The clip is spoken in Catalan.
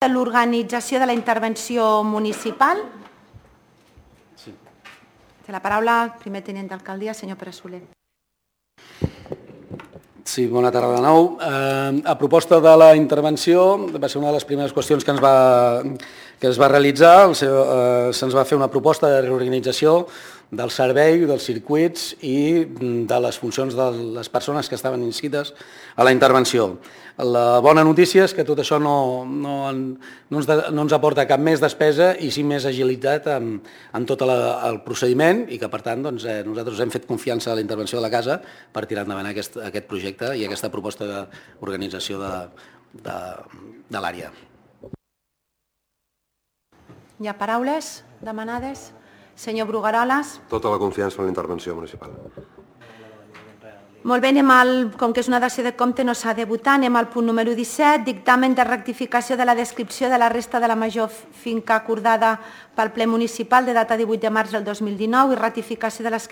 de l'organització de la intervenció municipal. Sí. Té la paraula el primer tinent d'alcaldia, senyor Pere Soler. Sí, bona tarda de nou. A proposta de la intervenció, va ser una de les primeres qüestions que es va realitzar. Se'ns va fer una proposta de reorganització del servei, dels circuits i de les funcions de les persones que estaven inscrites a la intervenció. La bona notícia és que tot això no ens aporta cap més despesa i sí més agilitat en tot el procediment i que, per tant, nosaltres hem fet confiança a la intervenció de la casa per tirar endavant aquest projecte i aquesta proposta d'organització de l'àrea. Hi ha paraules demanades? Senyor Brugueroles. Tota la confiança en la intervenció municipal. Molt bé, com que és una dació de compte no s'ha de votar, anem al punt número 17, dictamen de rectificació de la descripció de la resta de la major finca acordada pel ple municipal de data 18 de març del 2019 i ratificació de l'escriptura